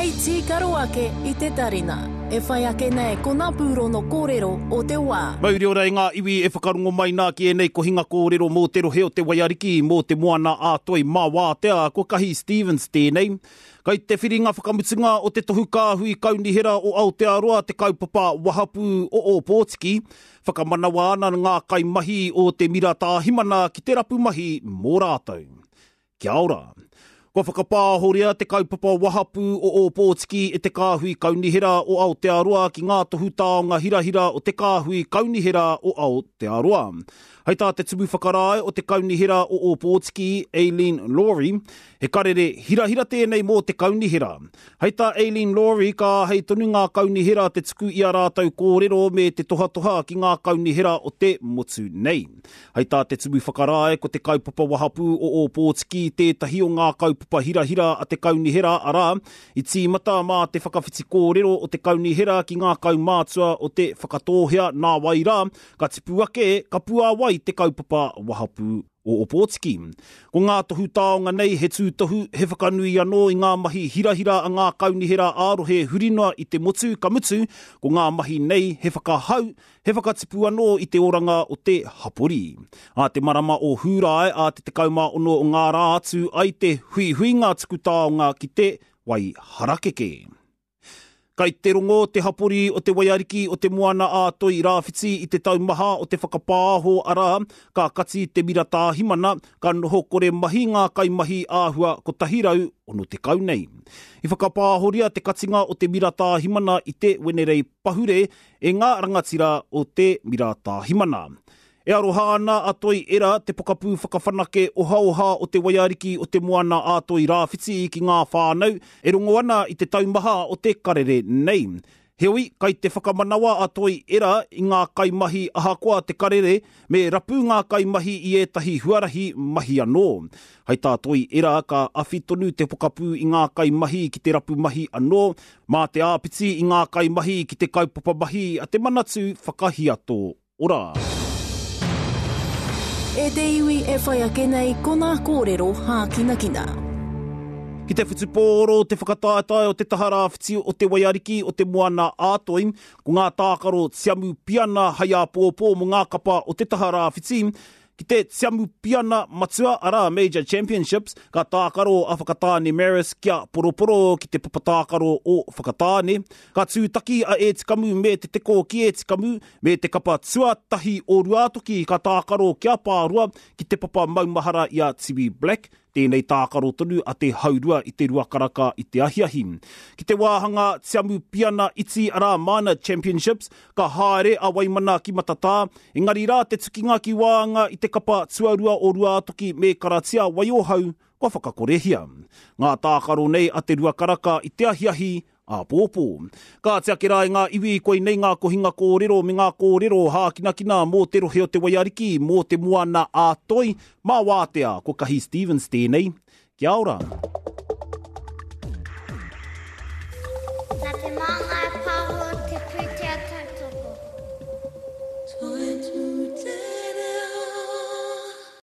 Hei tīkaro ake i te tarina. E whai ake nei ko ngā pūrono kōrero o te wā. Mauri ora e ngā iwi e whakarongo mai nā ki ēnei kohinga kōrero mō te rohe o te Waiariki, mō te Moana ā Toi mā Wātea, ko Kahi Stevens tēnei. Kai te whiringa whakamutunga o te Tohu Kāhui Kaunihera o Aotearoa te kaupapa wahapū o Ōpōtiki, whakamanawa ana ngā kaimahi o te Mira Tāhimana ki te rapu mahi mō rātou. Kia ora. Kua whakapāhoria te kaupapa wahapū o Ōpōtiki e te Kāhui Kaunihera o Aotearoa ki ngā tohu taonga hirahira o te Kāhui Kaunihera o Aotearoa. Hei tā te Tumu Whakarae o te Kaunihera o Ōpōtiki, Aileen Laurie, he karere hirahira tēnei mō te kaunihera. Hei tā Aileen Laurie, ka āhei tonu ngā kaunihera te tuku i ā rātou kōrero me te tohatoha ki ngā kaunihera o te motu nei. Hei tā te Tumu Whakarae, ko te kaupapa wahapū o Ōpōtiki tētahi o ngā kaupapa hirahira a te kaunihera, arā, i tīmata mā te whakawhiti kōrero o te kaunihera ki ngā kaumātua o Te Whakatōhea nāwai rā, ka tipu ake, ka puāwai te kaupapa wahapū o Ōpōtiki. Ko ngā tohu taonga nei he tūtohu, he whakanui anō i ngā mahi hirahira a ngā kaunihera ā-rohe huri noa i te motu, ka mutu, ko ngā mahi nei he whakahau, He whakatipu anō i te oranga o te hapori. Ā te marama o Hūrae, ā te 16 o ngā rā atu ai te huihuinga tuku taonga ki te wai harakeke. Kai te rongo te hapori o te Waiariki o te Moana-a-Toi Rāwhiti i te taumaha o te whakapāho arā, ka kati te mira tāhimana, ka noho kore mahi ngā kaimahi āhua 160 nei. I whakapāhoria te katinga o te mira tāhimana i te Wenerei pahure e ngā rangatira o te Mira Tāhimana. E aroha ana a Toi Era, te pokapū whakawhanake ohaoha o te Waiariki o te Moana a Toi Rāwhiti ki ngā whānau e rongo ana i te taumaha o te karere nei. Heoi, kai te whakamanawa a Toi Era i ngā kaimahi ahakoa te karere, me rapu ngā kaimahi i ētahi huarahi mahi anō. Hai tā Toi Era ka awhi tonu te pokapū i ngā kaimahi ki te rapu mahi anō, Mā te āpiti i ngā kaimahi ki te kaupapa mahi a te Manatū Whakahiato Ora. E te iwi e whai ake nei ko nā kōrero hākinakina. Ki te whutupōro te whakataetae o te taha rāwhiti o te Waiariki o te Moana a Toi, ko ngā tākaro tiamu piana hai āpōpō mō ngā kapa o te taha rāwhiti, Ki te Tiamupiana Matua, arā, Major Championships, ka tākaro a Whakatāne Marist kia poroporo ki te papa tākaro o Whakatāne. Ka tūtaki a Ētikamu me Te Teko ki Ētikamu, me te kapa tuatahi o Ruātoki ka tākaro kia Pāroa ki te papa maumahara i a Tiwi Black, Tēnei tākaro tonu a te haurua i te ruakaraka i te ahiahi. Ki te wāhanga tiamupiana iti arā Minor Championships, ka haere a Waimana ki Matatā, engari rā te tukinga ki waanga i te kapa tuarua o Ruātoki me Karatia Waiohau kua whakakorehia. Ngā tākaro nei a te ruakaraka i te ahiahi āpōpō. Kāti ake rā e ngā iwi, koinei ngā kohinga kōrero me ngā kōrero hākinakina mō te rohe o Te Waiariki, mō te Moana a Toi, mā Wātea, ko Kahi Stevens tēnei. Kia ora. Nā te Māngai.